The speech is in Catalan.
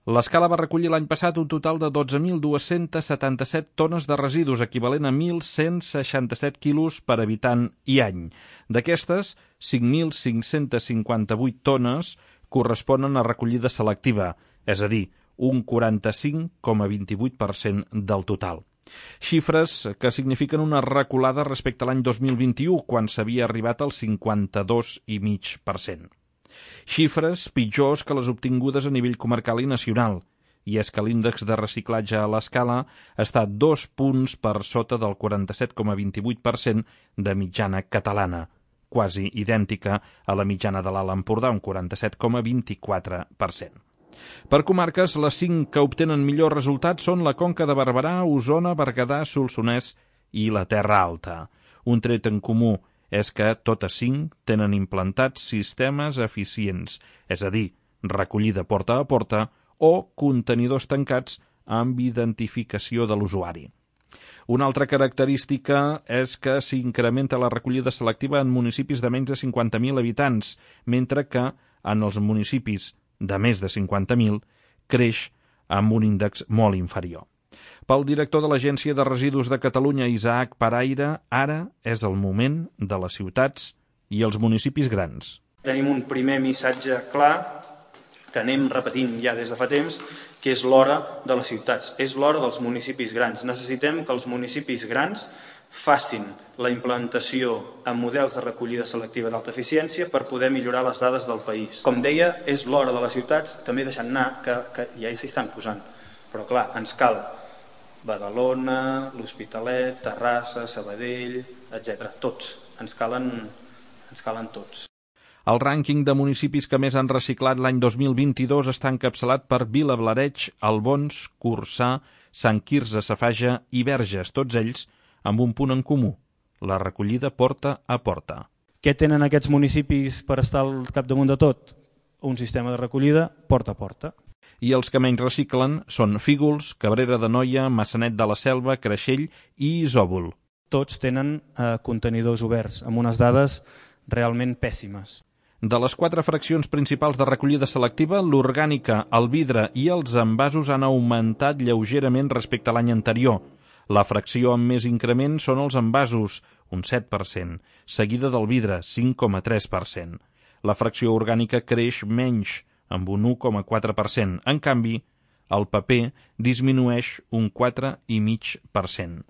L'Escala va recollir l'any passat un total de 12.277 tones de residus, equivalent a 1.167 quilos per habitant i any. D'aquestes, 5.558 tones corresponen a recollida selectiva, és a dir, un 45,28% del total. Xifres que signifiquen una reculada respecte a l'any 2021, quan s'havia arribat al 52,5%. Xifres pitjors que les obtingudes a nivell comarcal i nacional, i és que l'índex de reciclatge a l'Escala està 2 punts per sota del 47,28% de mitjana catalana, quasi idèntica a la mitjana de l'Alt Empordà, un 47,24%. Per comarques, les 5 que obtenen millors resultats són la Conca de Barberà, Osona, Berguedà, Solsonès i la Terra Alta. Un tret en comú és que totes 5 tenen implantats sistemes eficients, és a dir, recollida porta a porta o contenidors tancats amb identificació de l'usuari. Una altra característica és que s'incrementa la recollida selectiva en municipis de menys de 50.000 habitants, mentre que en els municipis de més de 50.000 creix amb un índex molt inferior. Pel director de l'Agència de Residus de Catalunya, Isaac Paraire, ara és el moment de les ciutats i els municipis grans. Tenim un primer missatge clar que anem repetint ja des de fa temps, que és l'hora de les ciutats, és l'hora dels municipis grans. Necessitem que els municipis grans facin la implantació en models de recollida selectiva d'alta eficiència per poder millorar les dades del país. Com deia, és l'hora de les ciutats, també deixant anar que ja s'hi estan posant. Però clar, ens cal Badalona, l'Hospitalet, Terrassa, Sabadell, etc. Tots, ens calen tots. El rànquing de municipis que més han reciclat l'any 2022 està encapçalat per Vilablareix, Albons, Corçà, Sant Quirze Safaja i Verges, tots ells amb un punt en comú, la recollida porta a porta. Què tenen aquests municipis per estar al capdamunt de tot? Un sistema de recollida porta a porta. I els que menys reciclen són Fígols, Cabrera d'Anoia, Maçanet de la Selva, Creixell i Isòvol. Tots tenen contenidors oberts, amb unes dades realment pèssimes. De les 4 fraccions principals de recollida selectiva, l'orgànica, el vidre i els envasos han augmentat lleugerament respecte a l'any anterior. La fracció amb més increment són els envasos, un 7%, seguida del vidre, 5,3%. La fracció orgànica creix menys, amb un 1,4%. En canvi, el paper disminueix un 4,5%.